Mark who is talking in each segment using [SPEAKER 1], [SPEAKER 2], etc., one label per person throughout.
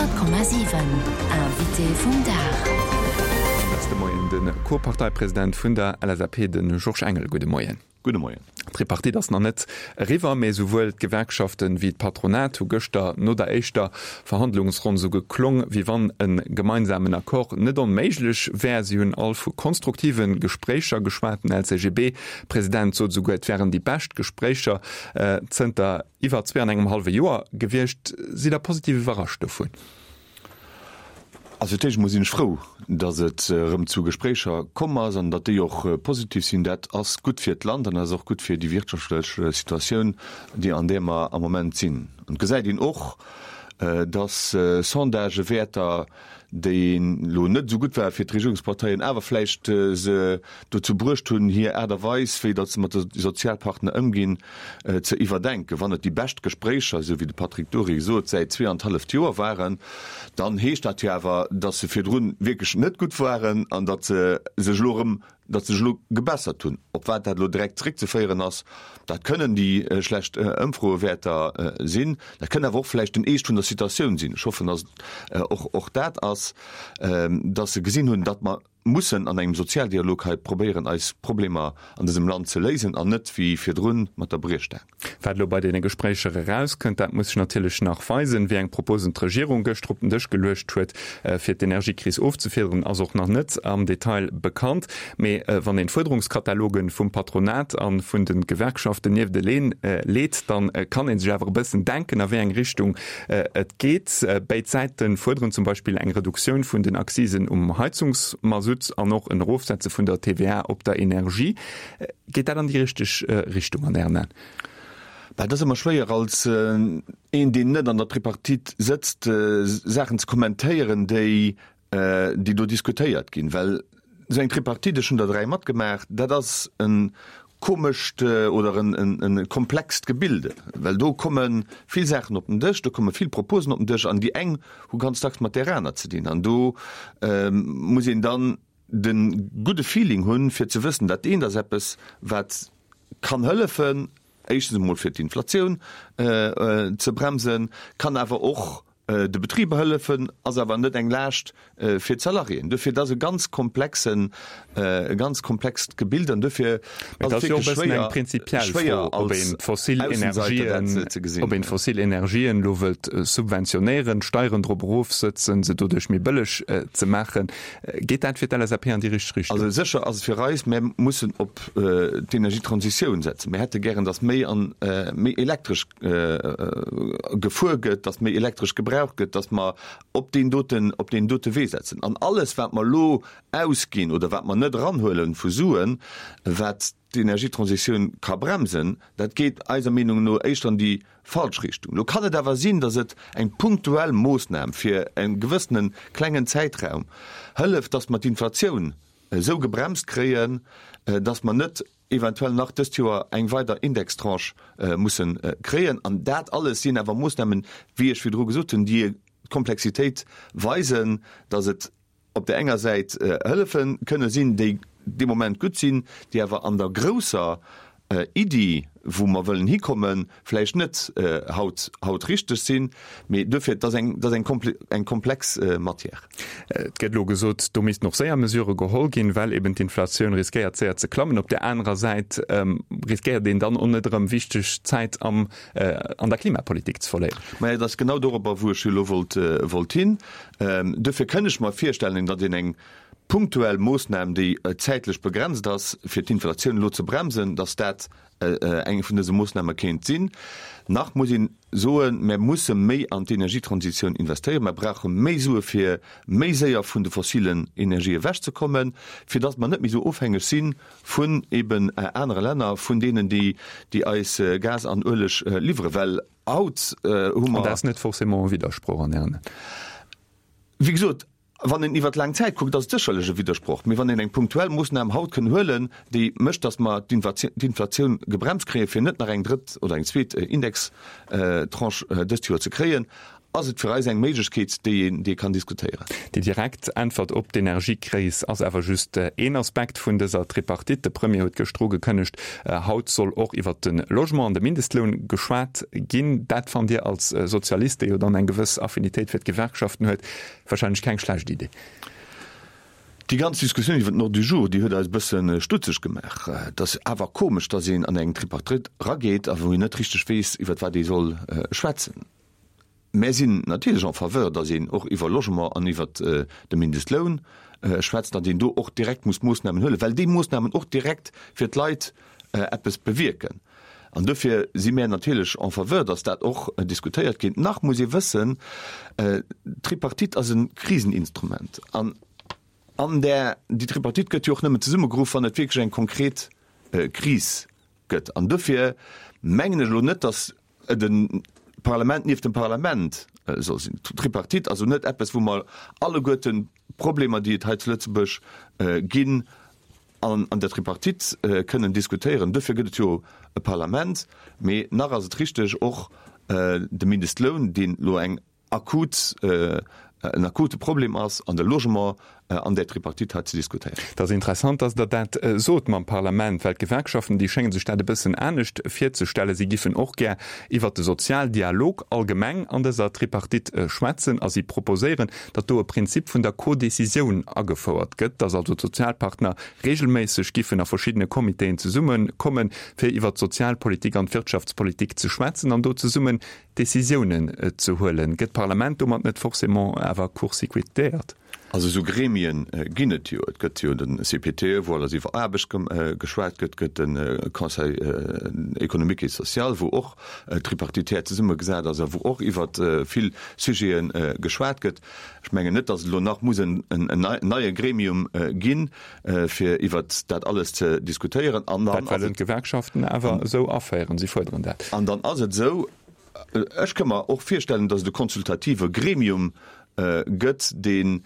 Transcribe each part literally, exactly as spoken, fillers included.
[SPEAKER 1] Honnert Komma siwen, Invité vum Dag.
[SPEAKER 2] Dat ass de Moien de Co-Parteipresident vun der L S A P, de Georges Engel. Gudde Moien.
[SPEAKER 3] Gudde Moien.
[SPEAKER 2] D'Tripartite ass nach net eriwwer, mee esouwuel d'Gewerkschaften wéi d'Patronat hu gëschter no der éischter Verhandlungsronn esou geklong, wéi wann e gemeinsamen Accord net onméiglech wär. Si hunn all vu konstruktive Gespréicher geschwat. Den L C G B-President sot esouguer, et wären déi bescht Gespréicher zënter iwwer zwee an engem hallwe Joer gewiescht. Sidd Der positiv iwwerrascht dovun?
[SPEAKER 3] Also fir d'éischt emol sinn ech frou, datt et erëm zu Gespréicher komm ass an datt déi och positiv sinn. Dat ass gutt fir d'Land an dat ass och gutt fir déi wirtschaftlech Situatioun, déi an där mer am Moment sinn. An et gesäit een och, datt Sondagewäerter, déi elo net esou gutt ware fir d'Regierungsparteien, awer vläicht se dozou bruecht hunn, hir Aart a Weis, wéi datt se mat de Sozialpartner ëmginn, ze iwwerdenken. Wann et déi bescht Gespréicher, esou wéi de Patrick Dury sot, säit zwee an d'halleft Joer waren, dann heescht dat jo awer, datt se virdrun wierklech net gutt waren an datt se sech elo erëm datt se sech elo gebessert hunn. Op wat dat elo direkt zréckzeféieren ass, dat kënnen déi schlecht Ëmfroewäerter sinn, dat kënn awer och vläicht den Eescht vun der Situatioun sinn. Ech hoffen, datt et och och dat ass, datt se gesinn hunn, datt mer mussen an engem Sozialdialog hei probéieren, eis Problemer an dësem Land ze léisen an net wéi virdrun mat der Briechstaang.
[SPEAKER 2] Wat elo bei deene Gespréicher erauskënnt, dat muss sech natierlech nach weisen. Wéi eng Proposen d'Regierung gëschter op den Dësch geluecht huet, fir d'Energiekris ofzefiederen, ass och nach net am Detail bekannt. Mee wann een d'Fuerderungskataloge vum Patronat a vun de Gewerkschaften niefteleen leet, da kann ee sech awer e bëssen denken, a wéi eng Richtung et geet. Béid Säite fuerderen zum Beispill eng Reduktioun vun den Accisen um Heizungsmasutt an och en Erofsetze vun der T V A op der Energie. Geet dat an déi richteg Richtung an Ären Aen?
[SPEAKER 3] Bah, dat ass ëmmer schwéier als een, deen net an der Tripartite sëtzt, Saachen ze kommentéieren, déi, déi do diskutéiert ginn. Well esou eng Tripartite, ech hunn der dräi matgemaach, dat ass e komescht oder e komplext Gebilde. Well do komme vill Saachen op den Dësch, do komme vill Proposen op den Dësch an déi eng hu ganz dacks mat där aner ze dinn. An do muss een dann de gudde Feeling hunn, fir ze wëssen, dat eent ass eppes, wat kann hëllefen, éischtens emol fir d'Inflatioun ze bremsen, kann awer och de Betriber hëllefen, ass awer net eng Laascht fir d'Salariéen. Dofir, dat ass e ganz komplexen, e ganz komplext Gebild an dofir
[SPEAKER 2] ass et wierklech schwéier, prinzipiell schwéier ob een d'fossil Energien ze gesinn, ob een d'fossil Energien elo wëllt subventionéieren, Steieren drop erofsëtzen, se doduerch méi bëlleg ze maachen. Geet dat fir d'L S A P an déi richteg Richtung?
[SPEAKER 3] Also sécher ass et fir eis, mir mussen op d'Energietransitioun setzen. Mir hätte gären, datt méi an méi elektresch gefuer gëtt, datt méi elektresch gebraucht gëtt, datt mer op deen doten, op deen dote Wee setzen. An alles, wat mer elo ausginn oder wat mer net eranhuele vu Suen, wat d'Energietransitioun ka bremsen, dat geet eiser Meenung no éischter an déi falsch Richtung. Lo kann et awer sinn, datt et eng punktuell Moossnam fir e gewëssene klengen Zäitraum hëlleft, datt mer d'Inflatioun esou gebremst kréien, datt mer net eventuell nach dëst Joer eng weider Indextranche musse kréien. An dat alles sinn awer Moossnamen, wéi ech virdru gesot hunn, déi d'Komplexitéit weisen, datt et op där enger Säit Hëllefe kënne sinn, déi dee Moment gutt sinn, déi awer an der grousser Iddi, wou mer wëllen hikommen, vläicht net haut haut richteg sinn. Mee duerfir, et ass eng, et ass eng eng komplex Matière.
[SPEAKER 2] Et gëtt elo gesot, do missten och séier Mesurë geholl ginn, well eben d'Inflatioun riskéiert séier ze klammen. Op där anerer Säit riskéiert een dann och net erëm wichteg Zäit am an der Klimapolitik ze verléieren.
[SPEAKER 3] Maja, et ass genau dorobber, wou ech elo wollt wollt hin. Duerfir kënn ech mer virstellen, datt een eng punktuell Moossnam, déi zäitlech begrenzt ass, fir d'Inflatioun elo ze bremsen, datt dat eng vun dëse Moossname kéint sinn. Nach muss een soen, Mer musse méi an d'Energietransitioun investéieren. Mer brauche méi Sue fir méi séier vun de fossilen Energië ewechzekommen, fir datt mer net méi esou ofhängeg si vun eben anere Länner, vun deenen, déi eis Gas an Ueleg liwweren. Well haut hu mer.
[SPEAKER 2] An dat ass net forcément e Widdersproch an Ären Aen?
[SPEAKER 3] Wéi gesot, wann een iwwert laang Zäit kuckt, ass et sécherlech e Widdersproch. Mee wann een eng punktuell Moossnam haut kënn huelen, déi mécht, datt mer d'Inflatioun gebremst kréien, fir net nach eng drëtt oder eng zweet Indextranche dëst Joer ze kréien, ass et fir eis eng Méiglechkeet, déi een, déi ee kann diskutéieren.
[SPEAKER 2] Déi direkt Äntwert op d'Energiekris ass awer just een Aspekt vun dëser Tripartite. De Premier huet gëschter ugekënnegt, haut soll och iwwert de Logement an de Mindestloun geschwat ginn. Dat fannt Dir als Sozialist, dee jo dann eng gewëss Affinitéit fir d'Gewerkschaften huet, wahrscheinlech keng schlecht Idee.
[SPEAKER 3] Déi ganz Diskussioun iwwer den Ordre du jour, déi huet eis e bësse stutzeg gemaach. Et ass awer komesch, datt een an eng Tripartite erageet a wou een net richteg weess, iwwer wat ee soll schwätzen. Mär sinn natierlech en faveur, datt een och iwwer Logement an iwwer de Mindestloun schwätzt, datt een do och direkt muss Moossnamen huelen, well déi Moossnamen och direkt fir d'Leit eppes bewierken. An dofir si mär natierlech en faveur, datt dat och diskutéiert gétt. Nach muss ee wëssen, d'Tripartite ass e Kriseninstrument. An an där, déi Tripartite gëtt jo och nëmmen zesummegeruff, wann et wierklech eng konkret Kris gëtt. An dofir mengen ech elo net, datt et e Parlament nieft dem Parlament soll sinn. D'Tripartite ass jo net eppes, wou mer alleguerten d'Problemer, déi et hei zu Lëtzebuerg ginn, an an der Tripartite kënnen diskutéieren. Dofir gëtt et jo e Parlament. Mee nach ass et richteg, och de Mindestloun, deen elo eng akut, en akute Problem ass, an de Logement an där Tripartite hei ze diskutéieren.
[SPEAKER 2] Et ass interessant, dass Der dat sot mam Parlament, well d'Gewerkschaften, déi schénge sech dat e bëssen anescht virzestellen. Si giffen och gär iwwert de Sozialdialog allgemeng an dëser Tripartite schwätzen a si proposéieren, datt do e Prinzip vun der Codécisioun agefouert gëtt, datt also d'Sozialpartner regelméisseg giffen a verschiddene Comitéen zesummekommen, fir iwwert d'Sozialpolitik an d'Wirtschaftspolitik ze schwätzen an do zesummen Décisiounen ze huelen. Gëtt d'Parlament domat net forcément awer court-circuitéiert?
[SPEAKER 3] Also esou Gremien ginn et jo. Et gëtt jo de C P T E, wou alles iwwer Aarbecht geschwat gëtt, gëtt de Conseil économique et social, wou och tripartitär zesummegesat ass a wou och iwwer vill Sujete geschwat gëtt. Ech mengen net, datt et elo nach muss en neie Gremium ginn, fir iwwer dat alles ze diskutéieren.
[SPEAKER 2] An dann dat wëllen d'Gewerkschaften awer esou aféieren. Si fuerderen dat.
[SPEAKER 3] An dann ass et esou, ech ka mer och virstellen, datt et e konsultative Gremium gëtt, deen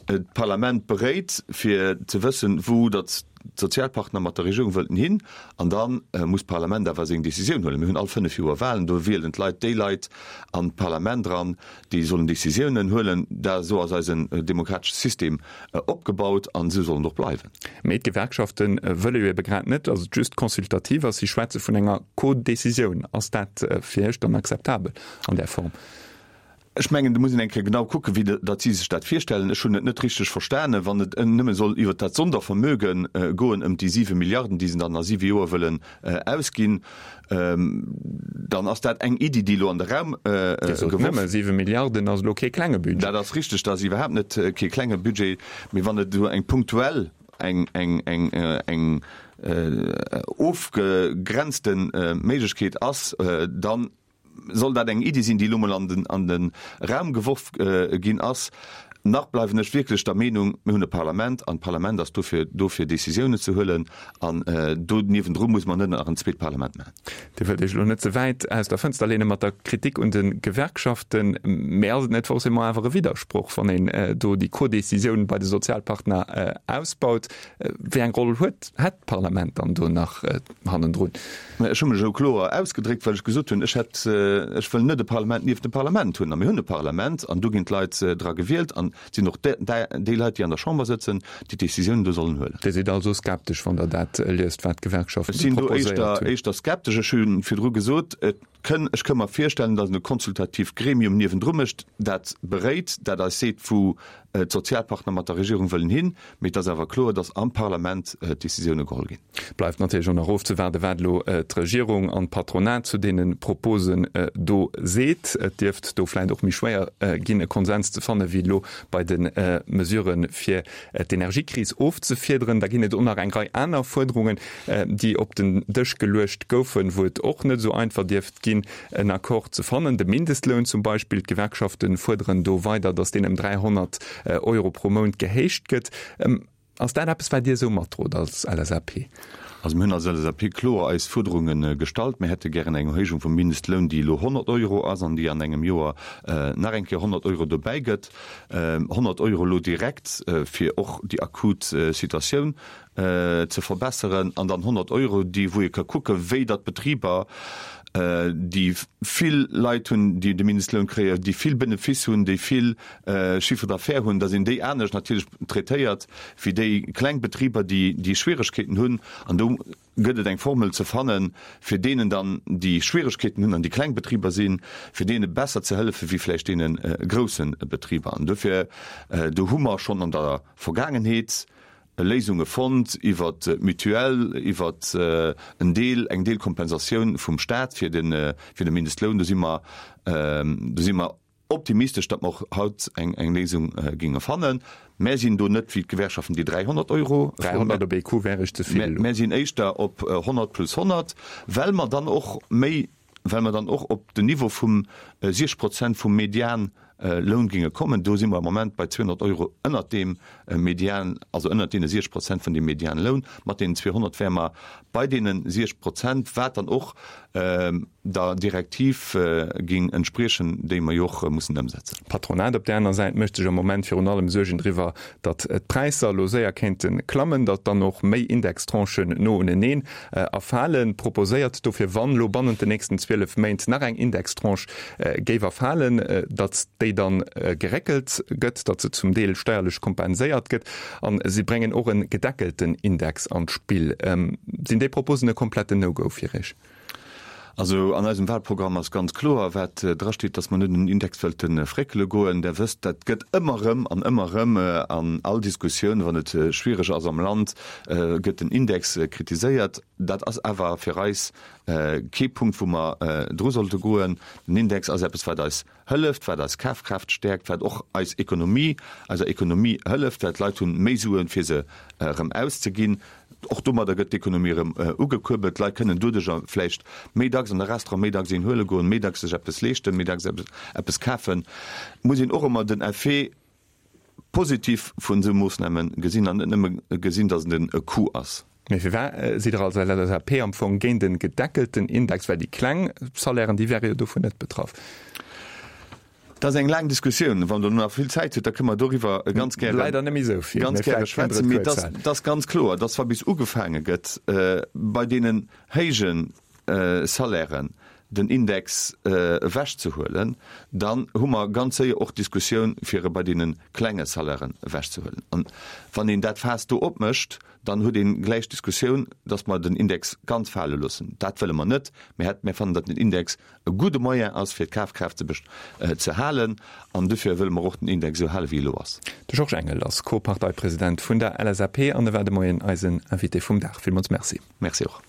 [SPEAKER 3] d'Parlament beréit, fir ze wëssen, wou datt d'Sozialpartner mat der Regierung wëllten hin. An da muss d'Parlament awer seng Décisioun huelen. Mir hunn all fënnef Joer Wahlen, do wielen d'Leit déi Leit an d'Parlament eran, déi sollen Décisiounen huelen. Dat, esou ass eisen demokratesche System opgebaut an esou soll en och bleiwen.
[SPEAKER 2] Mee d'Gewerkschafte wëlle jo ebe grad net, datt et just consultativ ass. Si schwätze vun enger Codécisioun. Ass dat fir Iech dann akzeptabel an där Form?
[SPEAKER 3] Ech mengen, do muss een eng Kéier genau kucken, wéi datt si sech dat virstellen. Ech hunn et net richteg verstanen, wann et nëmme soll iwwert dat Sondervermöge goen, ëm déi siwe Milliarden, déi se dann a siwe Joer wëllen ausginn, dann ass dat eng Iddi, déi elo an de Raum
[SPEAKER 2] Dir sot
[SPEAKER 3] geworf.
[SPEAKER 2] Nëmme siwe Milliarden ass elo kee klenge Budget.
[SPEAKER 3] Dat ass richteg, dat ass iwwerhaapt net kee klenge Budget. Mee wann et esou eng punktuell, eng, eng, eng, eng ofgegrenzte Méiglechkeet ass, dann soll dat eng Iddi sinn, déi elo mol an den, an de Raum geworf ginn ass. Nach bleiwen ech wierklech der Meenung, mir hunn e Parlament an d'Parlament ass dofir do fir Décisiounen ze huelen an do niewendru muss mer net nach en zweet Parlament maachen.
[SPEAKER 2] Dir wëllt Iech elo net ze wäit aus der Fënster leene mat der Kritik un de Gewerkschaften, mä ass et net forcément awer e Widdersproch, wann een do déi Codécisioun bei de Sozialpartner ausbaut? Wéi eng Roll huet, hätt d'Parlament dann do nach hannendrun?
[SPEAKER 3] Mä ech hu mech esou kloer ausgedréckt, well ech gesot hunn, ech hätt, ech wëll net e Parlament nieft dem Parlament hunn. A mir hunn e Parlament an do ginn d'Leit dra gewielt an et sinn och déi Leit, déi an der Chamber sëtzen, déi d'Décisiounen do sollen huelen.
[SPEAKER 2] Dir sidd also skeptesch, wann Der dat liest, wat d'Gewerkschaften
[SPEAKER 3] Ech sinn do
[SPEAKER 2] proposéiert
[SPEAKER 3] éischter,
[SPEAKER 2] hunn?
[SPEAKER 3] éischter skeptesch. Ech hu virdru gesot, et kënn, ech ka mer virstellen, datt en e konsultatiivt Gremium niewendru mécht, dat beréit, dat eis seet, wou d'Sozialpartner mat der Regierung wëllen hin. Mee et ass awer kloer, datt am Parlament d'Décisioune geholl ginn.
[SPEAKER 2] Bleift natierlech och nach ofzewaarden, wat elo d'Regierung an d'Patronat zu deene Proposen do seet. Et dierft do vläicht och méi schwéier ginn, e Konsens ze fannen, wéi elo bei de Mesuren, fir d'Energiekris ofzefiederen. Da ginn et och nach eng Rei aner Fuerderungen, déi op den Dësch geluecht goufen, wou et och net esou einfach dierft ginn, en Accord ze fannen. De Mindestloun zum Beispill, d'Gewerkschafte fuerderen do weider, datt deen ëm dräihonnert Euro pro Mount gehéicht gëtt. Ass dat eppes, wat Dir esou matdrot als L S A P?
[SPEAKER 3] Also mir hunn als L S A P kloer eis Fuerderunge gestallt. Mir hätte gären eng Erhéijung vum Mindestloun, déi elo honnert Euro ass an déi an engem Joer nach eng Kéier honnert Euro dobäi gëtt. honnert Euro elo direkt, fir och déi akut Situatioun ze verbesseren, an dann honnert Euro, déi wou ee ka kucken, wéi datt d'Betriber déi vill Leit hunn, déi de Mindestloun kréien, déi vill Benefice hunn, déi vill Chiffre d'affaires hunn, da sinn déi anescht natierlech traitéiert wéi déi kleng Betriber, déi déi Schwieregkeeten hunn. An do gëtt et eng Formel ze fannen, fir deenen dann, déi Schwieregkeeten hunn an déi kleng Betriber sinn, fir deene besser ze hëllefe wéi vläicht deene grousse Betriber. An dofir, do hu mer schonn an der Vergaangenheet Léisunge fonnt iwwert d'Mutuelle, iwwert en Deel, eng Deelkompensatioun vum Staat fir de, fir de Mindestloun. Do si mer, do si mer optimistesch, datt mer och haut eng, eng Léisung géinge fannen. Mär sinn do net wéi d'Gewerkschaften, déi dräihonnert Euro froen.
[SPEAKER 2] dräihonnert op ee Coup wär ech ze vill elo.
[SPEAKER 3] Mär sinn éischter op honnert plus honnert, well mer dann och méi, well mer dann och op den Niveau vum siechzeg Prozent vum Median Loun géinge kommen. Do si mer am Moment bei zweehonnert Euro ënnert deem Median, also ënnert deene siechzeg Prozent vun deem Medianloun. Mat deenen zweehonnert wäre mer bei deene siechzeg Prozent, wat dann och der Direktiv géing entspriechen, déi mer jo och mussen ëmsetzen.
[SPEAKER 2] D'Patronat op där aner Säit mécht sech am Moment virun allem Suergen driwwer, datt d'Präisser elo séier kéinte klammen, datt dann och méi Indextranchen no uneneen erfalen. Proposéiert dofir, wann elo bannent den nächsten zwielef Méint nach eng Indextranche géif erfalen, datt déi dann geréckelt gëtt, datt se zum Deel steierlech kompenséiert gëtt. A si bréngen och e gedeckelten Index an d'Spill. Sinn déi Proposen e kompletten No-Go fir Iech?
[SPEAKER 3] Also an eisem Wahlprogramm ass ganz kloer, wat drasteet, dass mer net un den Index wëlte fréckele goen. Der wësst, dat gëtt ëmmer erëm an ëmmer erëm an all Diskussioun, wann et schwiereg ass am Land, gëtt den Index kritiséiert. Dat ass awer fir eis kee Punkt, wou mer dru sollte goen. Den Index ass eppes, wat eis hëlleft, wat eis Kafkraaft stäerkt, wat och eis Ekonomie, eiser Ekonomie hëlleft, well d'Leit hunn méi Suen, fir se erëm auszeginn. Och domadder gëtt d'Ekonomie erëm ugekuerbelt. D'Leit kënnen doduercher vläicht méi dacks an de Restaurant, méi dacks een huele goen, méi dacks sech eppes leeschten, méi dacks eppes kafen. Et muss een och ëmmer den Effet positif vun esou Moossname gesinn an net nëmme gesinn, datt et e Coût ass.
[SPEAKER 2] Mee firwat sidd Der als LSAP am Fong géint e gedeckelten Index? Well déi kleng Salairen, déi wäre jo dovun net betraff.
[SPEAKER 3] Dat ass eng laang Diskussioun. Wann Der elo nach vill Zäit hutt, da kënne mer doriwwer ganz gäre,
[SPEAKER 2] Leider net méi esou vill,
[SPEAKER 3] ganz
[SPEAKER 2] mee
[SPEAKER 3] gäre
[SPEAKER 2] vläicht kënnt Der
[SPEAKER 3] schwätzen.
[SPEAKER 2] et
[SPEAKER 3] Mee
[SPEAKER 2] kuerz
[SPEAKER 3] et ass,
[SPEAKER 2] halen.
[SPEAKER 3] et ass ganz kloer, dass wa bis ugefaange gëtt, bei deenen héije Salairen den Index ewechzehuelen, dann hu mer ganz séier och d'Diskussioun, fir e bei deene klenge Salairen ewechzehuelen. An wann een dat Faass do opmécht, dann huet ee gläich d'Diskussioun, dass mer den Index ganz fale loossen. Dat wëlle mer net. Mir hätt, mir fannen, datt den Index e gudde Moyen ass, fir d'Kafkraaft ze ze halen, an dofir wëlle mer och den Index esou halen, wéi e elo ass.
[SPEAKER 2] De Georges Engel ass Co-Parteipresident vun der LSAP an e war de Moien eisen Invité vum Dag. Villmools Merci.
[SPEAKER 3] Merci och.